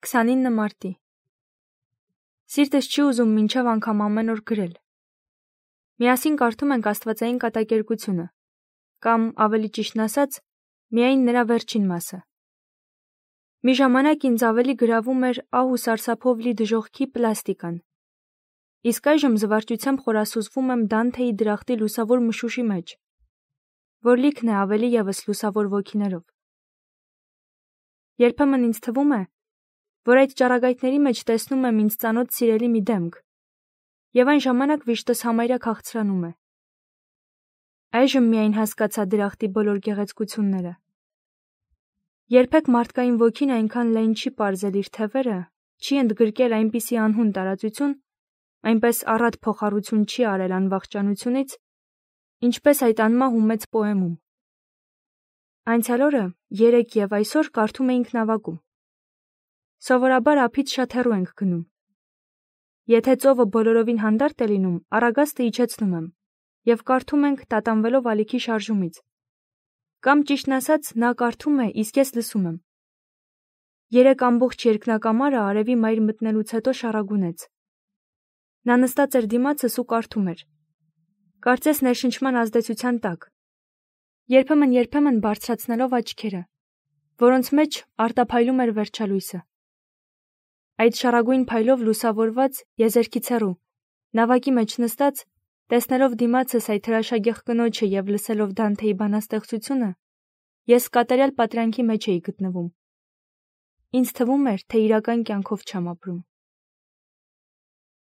29 մարտի։ Սիրտս չի ուզում մինչև անգամ ամեն օր գրել։ Միասին կարդում ենք Աստվածային կատակերգությունը, կամ ավելի ճիշտն ասած, միայն նրա վերջին մասը։ Մի ժամանակ ինձ ավելի գրավում էր ահ ու սարսափով լի դժոխքի պլաստիկան։ Իսկ այժմ զվարճությամբ խորասուզվում եմ Դանթեի դրախտի լուսավոր մշուշի մեջ, որ լիքն է ավելի ևս լուսավոր ոգիներով։ Երբեմն ինձ թվում է, որ այդ ճառագայթների մեջ տեսնում եմ ինձ ծանոթ սիրելի մի դեմք, եւ այն ժամանակ վիշտս համարյա քաղցրանում է։ Այժմ միայն հասկացա դրախտի բոլոր գեղեցկությունները։ Երբեք մարդկային ոգին այնքան լայն չի պարզել իր թևերը, չի ընդգրկել այնպիսի անհուն տարածություն, այնպես առատ փոխառություն չի արել անվախճանությունից, ինչպես այդ անմահ ու մեծ պոեմում։ Անցյալ օրը, երեկ եւ այսօր կարդում էինք նավակում։ Սովորաբար ափից շատ հեռու ենք գնում։ Եթե ծովը բոլորովին հանդարտ է լինում, առագաստը իջեցնում եմ եւ կարդում ենք տատանվելով ալիքի շարժումից։ Կամ ճիշտն ասած, նա կարդում է, իսկ ես լսում եմ։ Երեկ ամբողջ երկնակամարը արևի մայր մտնելուց հետո շառագունեց։ Նա նստած էր դիմացս ու կարդում էր։ Կարծես ներշնչման ազդեցության տակ։ Երբեմն բարձրացնելով աչքերը, որոնց մեջ արտափայլում էր վերջալույսը։ Այդ շառագույն փայլով լուսավորված եզերքից հեռու, նավակի մեջ նստած, տեսնելով դիմացս այդ հրաշագեղ կնոջը եւ լսելով Դանթեի բանաստեղծությունը, ես կատարյալ պատրանքի մեջ էի գտնվում։ Ինձ թվում էր, թե իրական կյանքով չեմ ապրում։